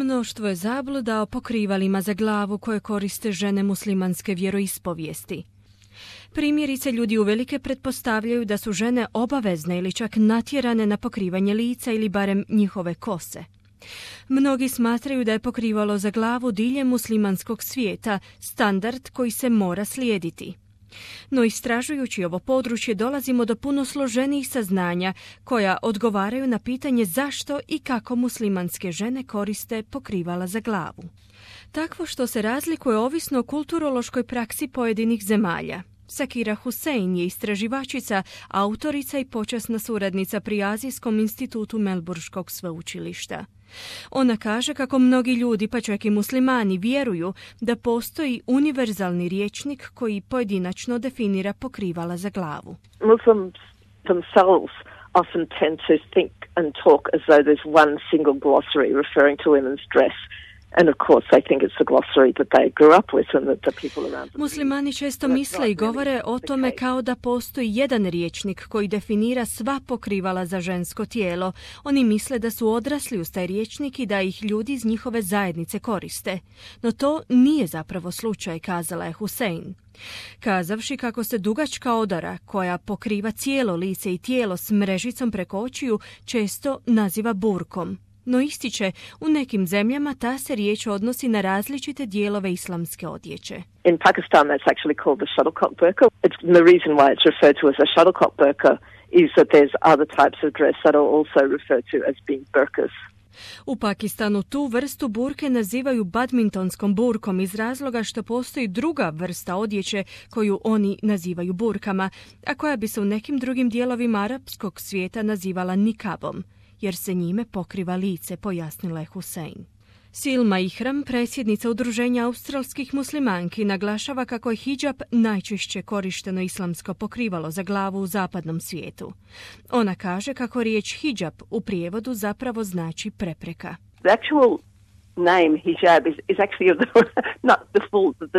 Mnoštvo je zabluda o pokrivalima za glavu koje koriste žene muslimanske vjeroispovijesti. Primjerice, ljudi uvelike pretpostavljaju da su žene obavezne ili čak natjerane na pokrivanje lica ili barem njihove kose. Mnogi smatraju da je pokrivalo za glavu diljem muslimanskog svijeta standard koji se mora slijediti. No istražujući ovo područje dolazimo do puno složenijih saznanja koja odgovaraju na pitanje zašto i kako muslimanske žene koriste pokrivala za glavu. Takvo što se razlikuje ovisno o kulturološkoj praksi pojedinih zemalja. Sakira Hussein je istraživačica, autorica i počasna suradnica pri Azijskom institutu Melburškog sveučilišta. Ona kaže kako mnogi ljudi, pa čak i muslimani, vjeruju da postoji univerzalni rječnik koji pojedinačno definira pokrivala za glavu. Muslims themselves often tend to think and talk as though there's one single glossary referring to women's dress. And of course, I think it's the glossary that they grew up with and that the people around them. Muslimani često misle i govore o tome kao da postoji jedan rječnik koji definira sva pokrivala za žensko tijelo. Oni misle da su odrasli uz taj rječnik i da ih ljudi iz njihove zajednice koriste. No to nije zapravo slučaj, kazala je Hussein. Kazavši kako se dugačka odora koja pokriva cijelo lice i tijelo s mrežicom preko očiju često naziva burkom. No ističe, u nekim zemljama ta se riječ odnosi na različite dijelove islamske odjeće. In Pakistan that's actually called the shuttlecock burqa. The reason why it's referred to as a shuttlecock burqa is that there's other types of dress that are also referred to as being burqas. U Pakistanu tu vrstu burke nazivaju badmintonskom burkom iz razloga što postoji druga vrsta odjeće koju oni nazivaju burkama, a koja bi se u nekim drugim dijelovima arapskog svijeta nazivala nikabom, jer se njime pokriva lice, pojasnila je Hussein. Silma Ihram, predsjednica Udruženja australskih muslimanki, naglašava kako je hidžab najčešće korišteno islamsko pokrivalo za glavu u zapadnom svijetu. Ona kaže kako riječ hidžab u prijevodu zapravo znači prepreka. The actual name hijab is actually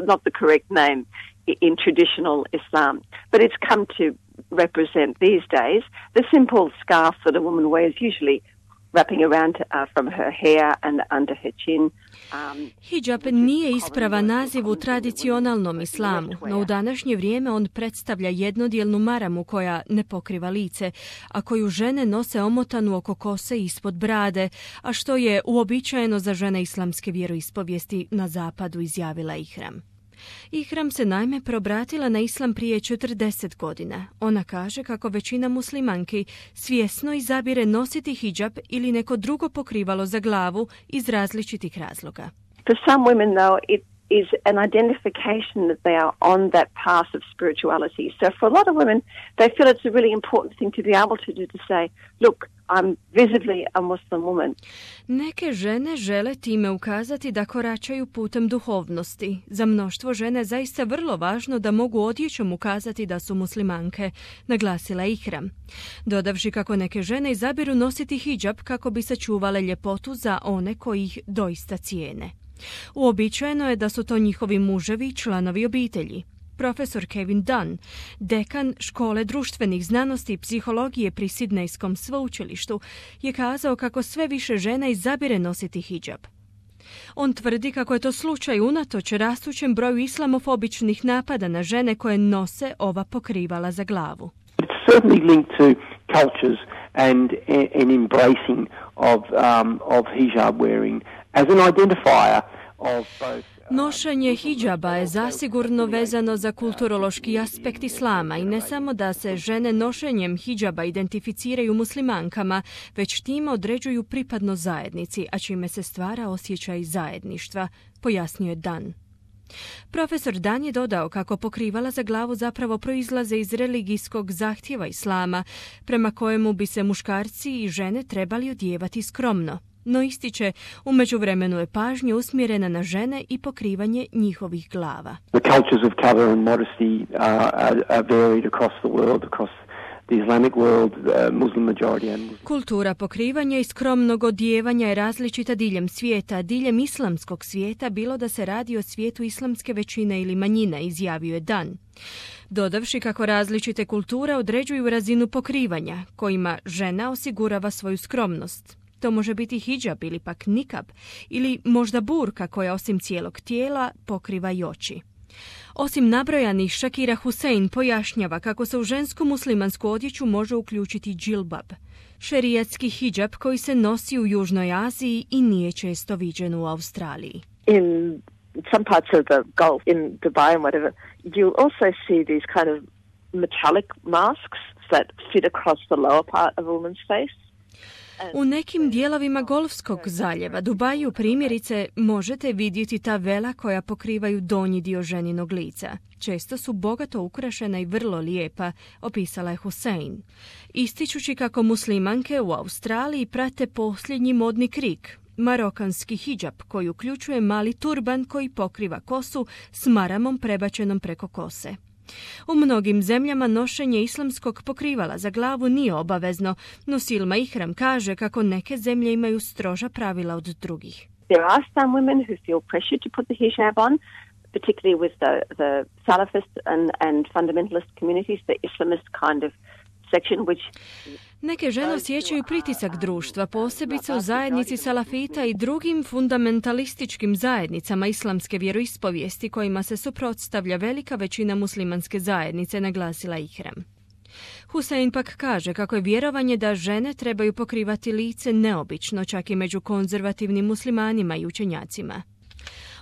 not the correct name in traditional Islam, but it's come to represent these days the simple scarf that a woman wears usually wrapping around from her hair and under her chin. Hidžab nije ispravan naziv u tradicionalnom islamu, no u današnje vrijeme on predstavlja jednodijelnu maramu koja ne pokriva lice, a koju žene nose omotanu oko kose ispod brade, a što je uobičajeno za žene islamske vjeroispovijesti na zapadu, izjavila Ihram. Ihram se naime preobratila na islam prije 40 godina. Ona kaže kako većina muslimanki svjesno izabire nositi hidžab ili neko drugo pokrivalo za glavu iz različitih razloga. For some women, though, it is an identification that they are on that path of spirituality. So for a lot of women, they feel it's a really important thing to be able to do, to say, look, I'm visibly a Muslim woman. Neke žene žele time ukazati da koračaju putem duhovnosti. Za mnoštvo žene zaista vrlo važno da mogu odjećom ukazati da su muslimanke, naglasila Ihram. Dodavši kako neke žene izabiru nositi hidžab kako bi sačuvale ljepotu za one koji ih doista cijene. Uobičajeno je da su to njihovi muževi i članovi obitelji. Profesor Kevin Dunn, dekan škole društvenih znanosti i psihologije pri Sidnejskom sveučilištu, je kazao kako sve više žena izabire nositi hidžab. On tvrdi kako je to slučaj unatoč rastućem broju islamofobičnih napada na žene koje nose ova pokrivala za glavu. It's certainly linked to cultures and an embracing of hijab wearing as an identifier of both. Nošenje hidžaba je zasigurno vezano za kulturološki aspekt islama i ne samo da se žene nošenjem hidžaba identificiraju muslimankama, već time određuju pripadnost zajednici, a čime se stvara osjećaj zajedništva, pojasnio je Dan. Profesor Dan je dodao kako pokrivala za glavu zapravo proizlaze iz religijskog zahtjeva islama, prema kojemu bi se muškarci i žene trebali odijevati skromno. No ističe, u međuvremenu je pažnja usmjerena na žene i pokrivanje njihovih glava. The cultures of cover and modesty are varied across the world, across the Islamic world, Muslim majority and Kultura pokrivanja i skromnog odijevanja je različita diljem svijeta, diljem islamskog svijeta, bilo da se radi o svijetu islamske većine ili manjine, izjavio je Dan. Dodavši kako različite kulture određuju razinu pokrivanja, kojima žena osigurava svoju skromnost. To može biti hidžab ili pak nikab, ili možda burka koja osim cijelog tijela pokriva i oči. Osim nabrojanih, Shakira Hussein pojašnjava kako se u žensku muslimansku odjeću može uključiti džilbab, šerijatski hidžab koji se nosi u Južnoj Aziji i nije često viđen u Australiji. In some parts of the Gulf, in Dubai and whatever, you'll also see these kind of metallic masks that fit across the lower part of a woman's face. U nekim dijelovima Golfskog zaljeva, Dubaju primjerice, možete vidjeti ta vela koja pokrivaju donji dio ženinog lica. Često su bogato ukrašena i vrlo lijepa, opisala je Hussein, ističući kako muslimanke u Australiji prate posljednji modni krik, marokanski hidžab koji uključuje mali turban koji pokriva kosu s maramom prebačenom preko kose. U mnogim zemljama nošenje islamskog pokrivala za glavu nije obavezno, no Silma Ihram kaže kako neke zemlje imaju stroža pravila od drugih. There are some women who feel pressure to put the hijab on, particularly with the Salafist and fundamentalist communities, the Islamist kind of section which... Neke žene osjećaju pritisak društva, posebice u zajednici salafita i drugim fundamentalističkim zajednicama islamske vjeroispovijesti kojima se suprotstavlja velika većina muslimanske zajednice, naglasila Ihram. Hussein pak kaže kako je vjerovanje da žene trebaju pokrivati lice neobično, čak i među konzervativnim muslimanima i učenjacima.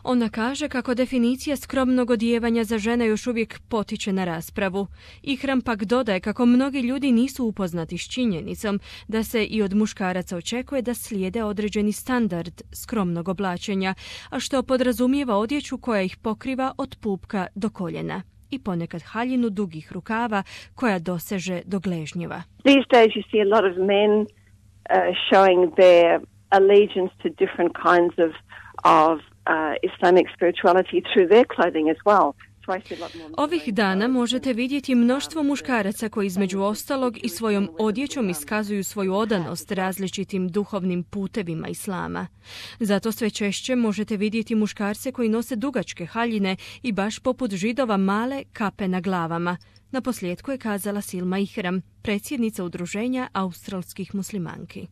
Ona kaže kako definicija skromnog odijevanja za žene još uvijek potiče na raspravu. Ihram pak dodaje kako mnogi ljudi nisu upoznati s činjenicom da se i od muškaraca očekuje da slijede određeni standard skromnog oblačenja, a što podrazumijeva odjeću koja ih pokriva od pupka do koljena i ponekad haljinu dugih rukava koja doseže do gležnjeva. These days you see a lot of men showing their allegiance to different kinds of Islamic spirituality through their clothing as well. Ovih dana možete vidjeti mnoštvo muškaraca koji između ostalog i svojom odjećom iskazuju svoju odanost različitim duhovnim putevima islama. Zato sve češće možete vidjeti muškarce koji nose dugačke haljine i baš poput Židova male kape na glavama. Naposljetku je kazala Silma Ihram, predsjednica udruženja australskih muslimanki.